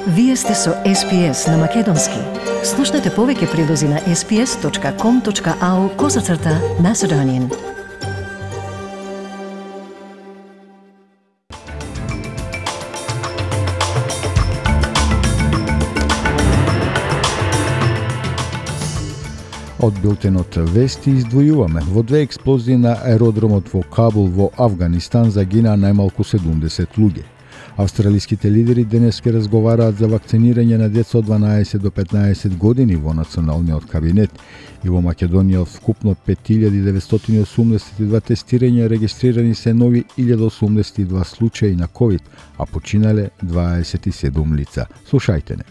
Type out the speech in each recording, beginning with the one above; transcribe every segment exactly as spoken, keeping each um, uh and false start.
Вие сте со Ес Пи Ес на Македонски. Слушнете повеќе прилози на ес пи ес точка ком точка ау козацрта Macedonian. Од билтенот вести издвојуваме. Во две експлозии на аеродромот во Кабул во Авганистан загина најмалку седумдесет луѓе. Австралиските лидери денес ке разговараат за вакцинирање на деца од дванаесет до петнаесет години во националниот кабинет и во Македонија вкупно пет илјади деветстотини и осумдесет и два тестирања регистрирани се нови илјада осумдесет и два случаи на ковид, а починале дваесет и седум лица. Слушајте не.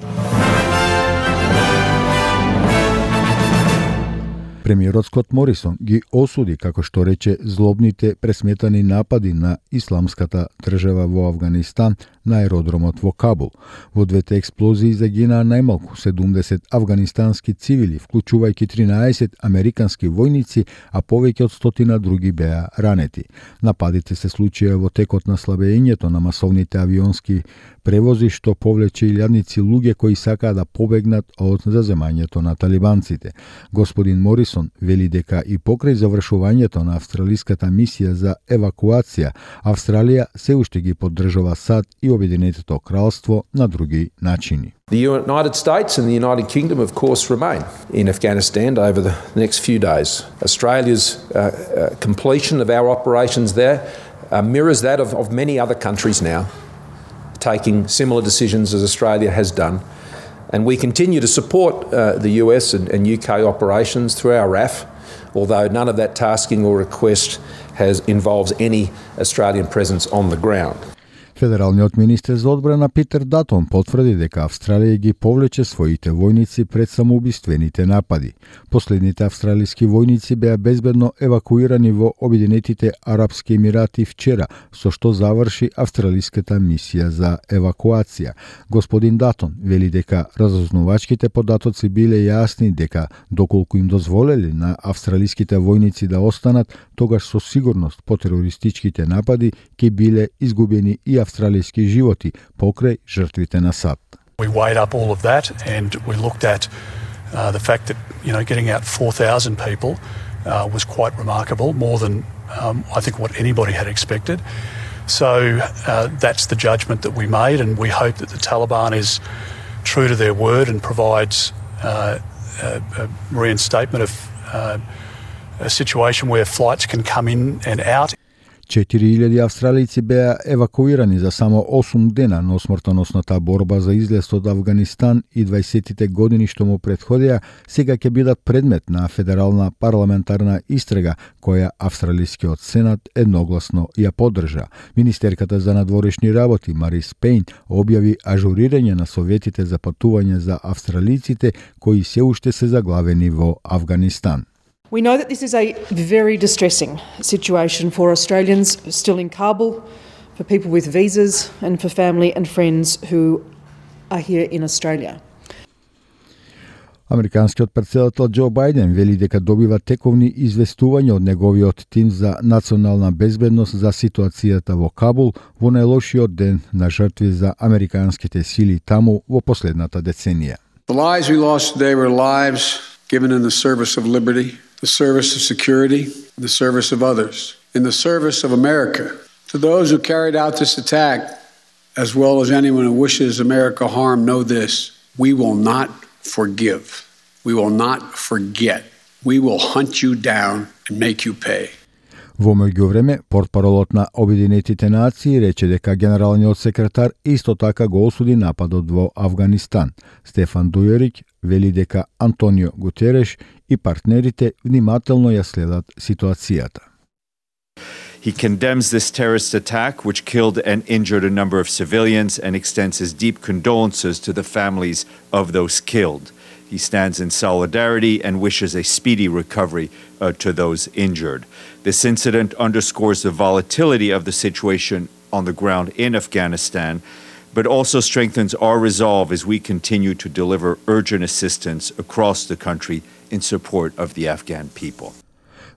Премиерот Скот Морисон ги осуди, како што рече, злобните пресметани напади на исламската држава во Авганистан на аеродромот во Кабул. Во двете експлозии загинаа најмалку седумдесет авганистански цивили, вклучувајќи тринаесет американски војници, а повеќе од стотина други беа ранети. Нападите се случија во текот на слабењето на масовните авионски превози, што повлече илјадници луѓе кои сакаа да побегнат од заземањето на талибанците. Господин Морисон вели дека и покрај завршувањето на австралиската мисија за евакуација, Австралија се уште ги поддржува САД и Обединетото кралство на други начини. The United States and the United Kingdom, of course, remain in Afghanistan over the next few days. Australia's uh, uh, completion of our operations there uh, mirrors that of, of many other countries now, taking similar decisions as Australia has done. And we continue to support uh, the U S and, and U K operations through our R A F, although none of that tasking or request has involves any Australian presence on the ground. Федералниот министер за одбрана Питер Датон потврди дека Австралија ги повлече своите војници пред самоубиствените напади. Последните австралиски војници беа безбедно евакуирани во Обединетите Арапски Емирати вчера, со што заврши австралиската мисија за евакуација. Господин Датон вели дека разузнавачките податоци биле јасни дека доколку им дозволеле на австралиските војници да останат, тогаш со сигурност по терористичките напади ќе биле изгубени и австралиски животи покрај жртвите на САД. We weighed up all of that and we looked at uh, the fact that, you know, getting out four thousand people uh, was quite remarkable, more than um, I think what anybody had expected. So uh, that's the judgment that we made, and we hope that the Taliban is true to their word and provides uh, a, a reinstatement of uh, a situation where flights can come in and out. четири илјади австралици беа евакуирани за само осум дена, но смртоносната борба за излез од Авганистан и дваесеттите години што му претходеа сега ќе бидат предмет на федерална парламентарна истрага, која австралискиот сенат едногласно ја поддржа. Министерката за надворешни работи Марис Пейн објави ажурирање на советите за патување за австралиците кои се уште се заглавени во Авганистан. We know that this is a very distressing situation for Australians still in Kabul, for people with visas, and for family and friends who are here in Australia. Американскиот претседател Џо Бајден вели дека добива тековни известувања од неговиот тим за национална безбедност за ситуацијата во Кабул во најлошиот ден на жртви за американските сили таму во последната деценија. The lives we lost today were lives given in the service of liberty, the service of security, the service of others, in the service of America. To those who carried out this attack, as well as anyone who wishes America harm, know this: we will not forgive. We will not forget. We will hunt you down and make you pay. Во меѓувреме, портпаролот на Обединетите нации рече дека генералниот секретар исто така го осуди нападот во Авганистан. Стефан Дујерик вели дека Антонио Гутереш и партнерите внимателно ја следат ситуацијата. He condemns this terrorist attack, which killed and injured a number of civilians, and extends his deep condolences to the families of those killed. He stands in solidarity and wishes a speedy recovery uh, to those injured. This incident underscores the volatility of the situation on the ground in Afghanistan, but also strengthens our resolve as we continue to deliver urgent assistance across the country in support of the Afghan people.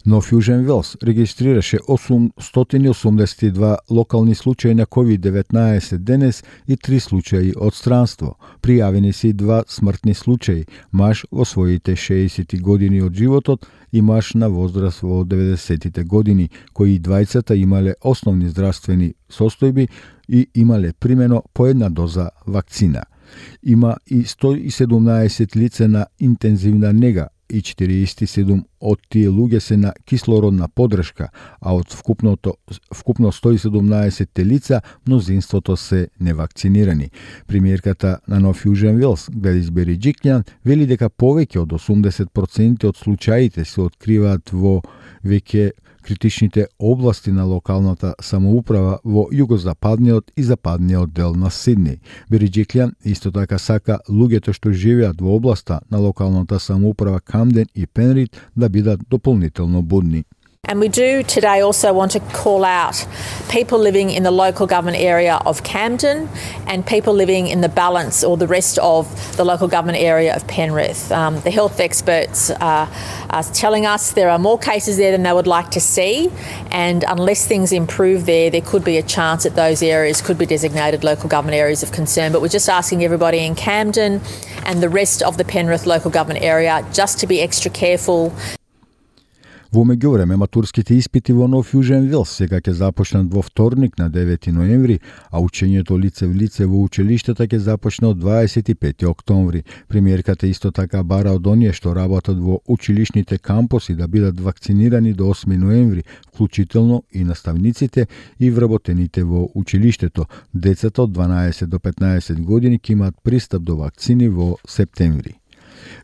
Нов Јужен Велс регистрираше осумстотини осумдесет и два локални случаи на ковид деветнаесет денес и три случаи од странство. Пријавени се и два смртни случаи, маж во своите шеесет години од животот и маж на возраст во деветдесетите години, кои двајцата имале основни здравствени состојби и имале примено по една доза вакцина. Има и сто и седумнаесет лица на интензивна нега и четириесет и седум од тие луѓе се на кислородна поддршка, а од вкупното вкупно сто и седумнаесет лица мнозинството се невакцинирани. Премиерката на Нов Јужен Велс, Гледис Бериџикљан, вели дека повеќе од осумдесет проценти од случаите се откриваат во веќе критичните области на локалната самоуправа во југозападниот и западниот дел на Сидни. Бериџикљан исто така сака луѓето што живеат во областа на локалната самоуправа Камден и Пенрид да бидат дополнително будни. And we do today also want to call out people living in the local government area of Camden and people living in the balance or the rest of the local government area of Penrith. Um, the health experts are, are telling us there are more cases there than they would like to see, and unless things improve there, there could be a chance that those areas could be designated local government areas of concern. But we're just asking everybody in Camden and the rest of the Penrith local government area just to be extra careful. Во меѓувреме, матурските испити во Нов Јужен Велс сега ќе започнат во вторник на девети ноември, а учењето лице в лице во училиштата ќе започне од дваесет и пети октомври. Премиерката исто така бара од оние што работат во училишните кампуси да бидат вакцинирани до осми ноември, вклучително и наставниците и вработените во училиштето. Децата од дванаесет до петнаесет години ќе имаат пристап до вакцини во септември.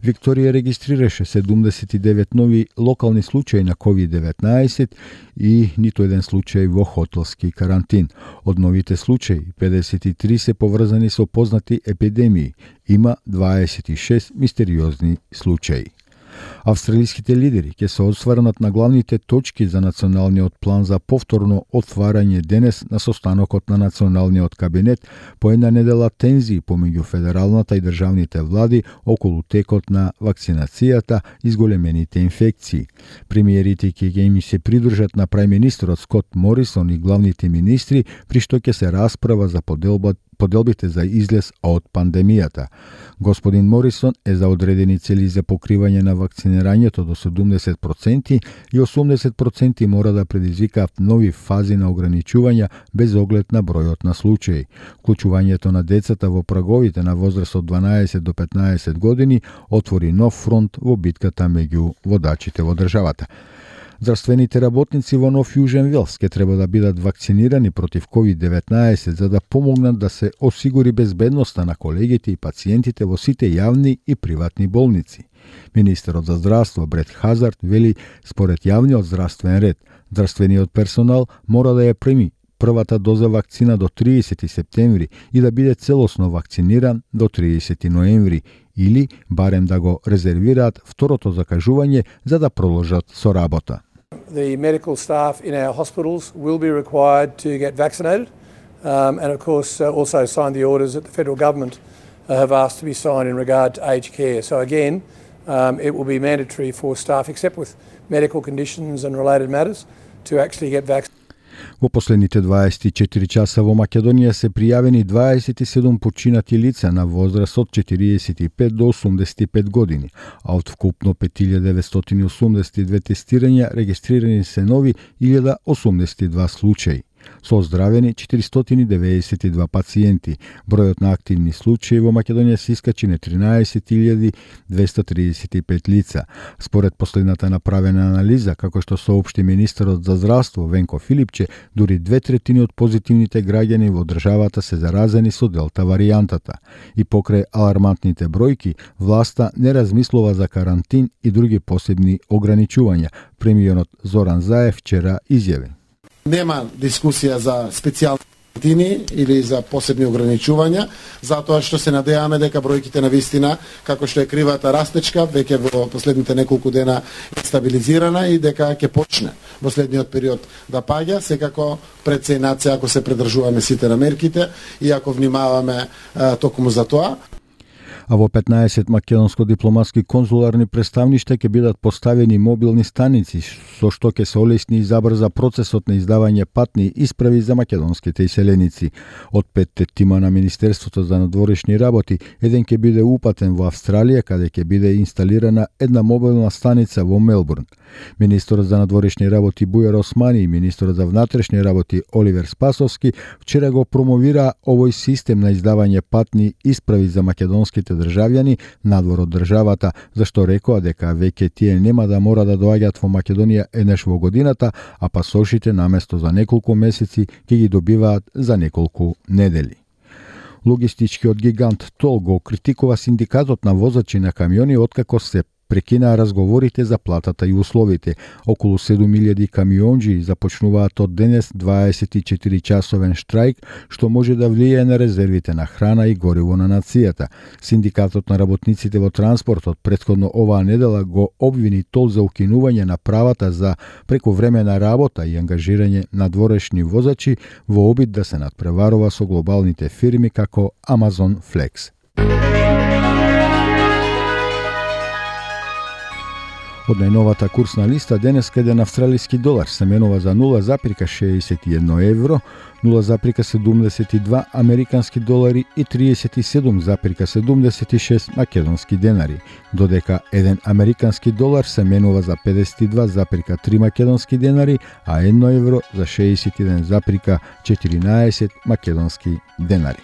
Викторија регистрираше седумдесет и девет нови локални случаи на ковид деветнаесет и ниту еден случај во хотелски карантин. Од новите случаи, педесет и три се поврзани со познати епидемии. Има дваесет и шест мистериозни случаи. Австралиските лидери ќе се осврнат на главните точки за националниот план за повторно отварање денес на состанокот на националниот кабинет по една недела тензии помеѓу федералната и државните влади околу текот на вакцинацијата и зголемените инфекции. Премиерите ќе им се придружат на прајминистерот Скот Морисон и главните министри, при што ќе се расправа за поделба поделбите за излез од пандемијата. Господин Морисон е за одредени цели за покривање на вакцинирањето до седумдесет проценти и осумдесет проценти мора да предизвикаат нови фази на ограничувања без оглед на бројот на случаи. Вклучувањето на децата во праговите на возраст од дванаесет до петнаесет години отвори нов фронт во битката меѓу водачите во државата. Здравствените работници во Нов Јужен Велс ќе треба да бидат вакцинирани против ковид деветнаесет за да помогнат да се осигури безбедноста на колегите и пациентите во сите јавни и приватни болници. Министерот за здравство Брет Хазард вели според јавниот здравствен ред, здравствениот персонал мора да ја прими првата доза вакцина до триесети септември и да биде целосно вакциниран до триесети ноември или барем да го резервираат второто закажување за да продолжат со работа. The medical staff in our hospitals will be required to get vaccinated, um, and of course uh, also sign the orders that the federal government uh, have asked to be signed in regard to aged care. So again, um, it will be mandatory for staff, except with medical conditions and related matters, to actually get vaccinated. Во последните дваесет и четири часа во Македонија се пријавени дваесет и седум починати лица на возраст од четириесет и пет до осумдесет и пет години, а од вкупно пет илјади деветстотини осумдесет и две тестирања регистрирани се нови илјада осумдесет и два случаи. Со оздравени четиристотини деветдесет и два пациенти. Бројот на активни случаи во Македонија се искачи на тринаесет илјади двесте триесет и пет лица. Според последната направена анализа, како што соопшти министерот за здравство Венко Филипче, дури две третини од позитивните граѓани во државата се заразени со делта варијантата. И покрај алармантните бројки, власта не размислува за карантин и други посебни ограничувања. Премиерот Зоран Заев вчера изјави: Нема дискусија за специјални карантини или за посебни ограничувања, затоа што се надеваме дека бројките на вистина, како што е кривата растечка, веќе во последните неколку дена е стабилизирана и дека ќе почне во следниот период да паѓа, секако пред се и над се ако се придржуваме сите на мерките и ако внимаваме а, токму за тоа. А во петнаесет македонско-дипломатски конзуларни представништа ќе бидат поставени мобилни станици, со што ќе се олесни и забрза процесот на издавање патни исправи за македонските иселеници. Од петте тима на Министерството за надворешни работи, еден ќе биде упатен во Австралија, каде ќе биде инсталирана една мобилна станица во Мелбурн. Министерот за надворешни работи Бујар Османи и министерот за внатрешни работи Оливер Спасовски вчера го промовира овој систем на издавање патни исправи за македонските државјани надвор од државата, зашто рекоа дека веќе тие нема да мора да доаѓаат во Македонија еднаш во годината, а пасошите наместо за неколку месеци ќе ги добиваат за неколку недели. Логистичкиот гигант Тол го критикува синдикатот на возачи на камиони откако се прекинаа разговорите за платата и условите. Околу седум илјади камионџи започнуваат од денес дваесет и четири часовен штрајк, што може да влијае на резервите на храна и гориво на нацијата. Синдикатот на работниците во транспортот претходно оваа недела го обвини Тол за укинување на правата за прековремена работа и ангажирање на надворешни возачи во обид да се надпреварува со глобалните фирми како Amazon Flex. Од најновата курсна листа денес еден австралиски долар се менува за нула запирка шеесет и едно евро, нула запирка седумдесет и два американски долари и триесет и седум запирка седумдесет и шест македонски денари, додека еден американски долар се менува за педесет и два запирка три македонски денари, а едно евро за шеесет и еден запирка четиринаесет македонски денари.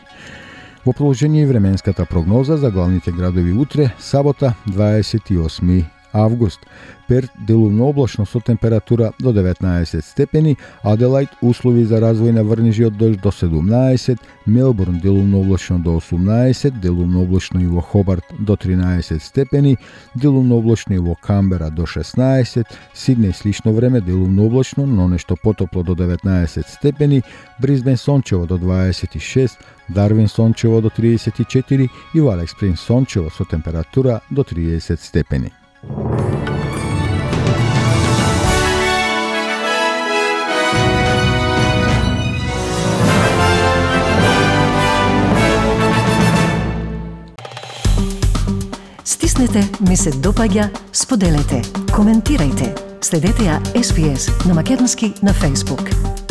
Во продолжение и временската прогноза за главните градови утре, сабота, дваесет и осми август. Перт делумно облачно со температура до деветнаесет степени, Аделајд услови за развој на врнежи од дожд до седумнаесет, Мелбурн делумно облачно до осумнаесет, делумно облачно и во Хобарт до тринаесет степени, делумно облачно и во Камбера до шеснаесет, Сиднеј слично време делумно облачно, но нешто потопло до деветнаесет степени, Брисбен сончево до дваесет и шест, Дарвин сончево до триесет и четири и во Алекс Спрингс сончево со температура до триесет степени. Стиснете, ми се допаѓа, споделете, коментирајте. Следете ја Ес Би Ес на македонски на Facebook.